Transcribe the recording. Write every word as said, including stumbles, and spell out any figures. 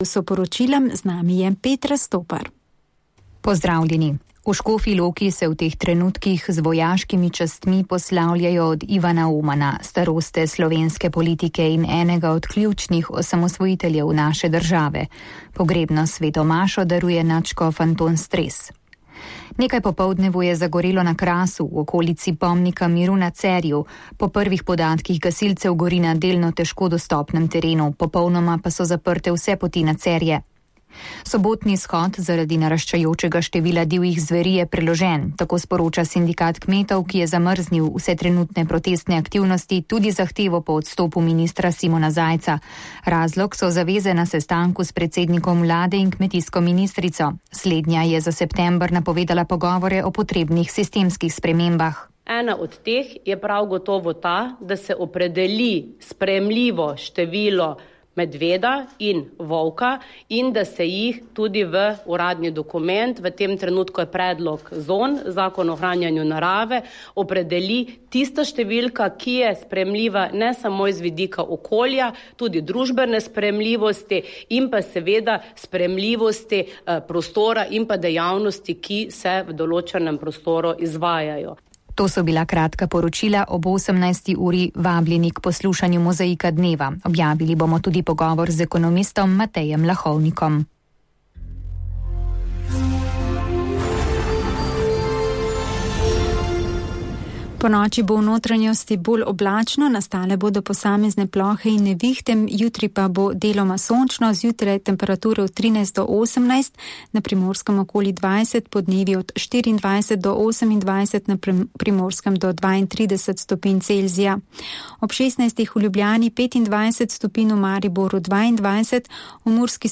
So poročilom, z nami je Petra Stopar. Pozdravljeni. V Škofji Loki se v teh trenutkih z vojaškimi častmi poslavljajo od Ivana Omana, staroste slovenske politike in enega od ključnih osamosvojiteljev naše države. Pogrebno svetomašo daruje nadškof Anton Stres. Nekaj popoldnevu je zagorelo na Krasu, v okolici pomnika miru na Cerju. Po prvih podatkih gasilcev gori na delno težko dostopnem terenu, popolnoma pa so zaprte vse poti na Cerje. Sobotni shod zaradi naraščajočega števila divjih zveri je preložen, tako sporoča sindikat kmetov, ki je zamrznil vse trenutne protestne aktivnosti, tudi zahtevo po odstopu ministra Simona Zajca. Razlog so zaveze na sestanku s predsednikom vlade in kmetijsko ministrico. Slednja je za september napovedala pogovore o potrebnih sistemskih spremembah. Ena od teh je prav gotovo ta, da se opredeli sprejemljivo število medveda in volka in da se jih tudi v uradni dokument, v tem trenutku je predlog zon, zakon o ohranjanju narave, opredeli tista številka, ki je sprejemljiva ne samo iz vidika okolja, tudi družbene sprejemljivosti in pa seveda sprejemljivosti eh, prostora in pa dejavnosti, ki se v določenem prostoru izvajajo. To so bila kratka poročila. Ob osemnajsti uri vabljeni k poslušanju Mozaika dneva. Objavili bomo tudi pogovor z ekonomistom Matejem Lahovnikom. Po noči bo v notranjosti bolj oblačno, nastale bodo posamezne plohe in nevihte, jutri pa bo deloma sončno, zjutraj temperature od trinajst do osemnajst, na Primorskem okoli dvajset, podnevi od štiriindvajset do osemindvajset, na Primorskem do dvaintrideset stopinj Celzija. Ob šestnajstih v Ljubljani petindvajset stopinj, v Mariboru dvaindvajset, v Murski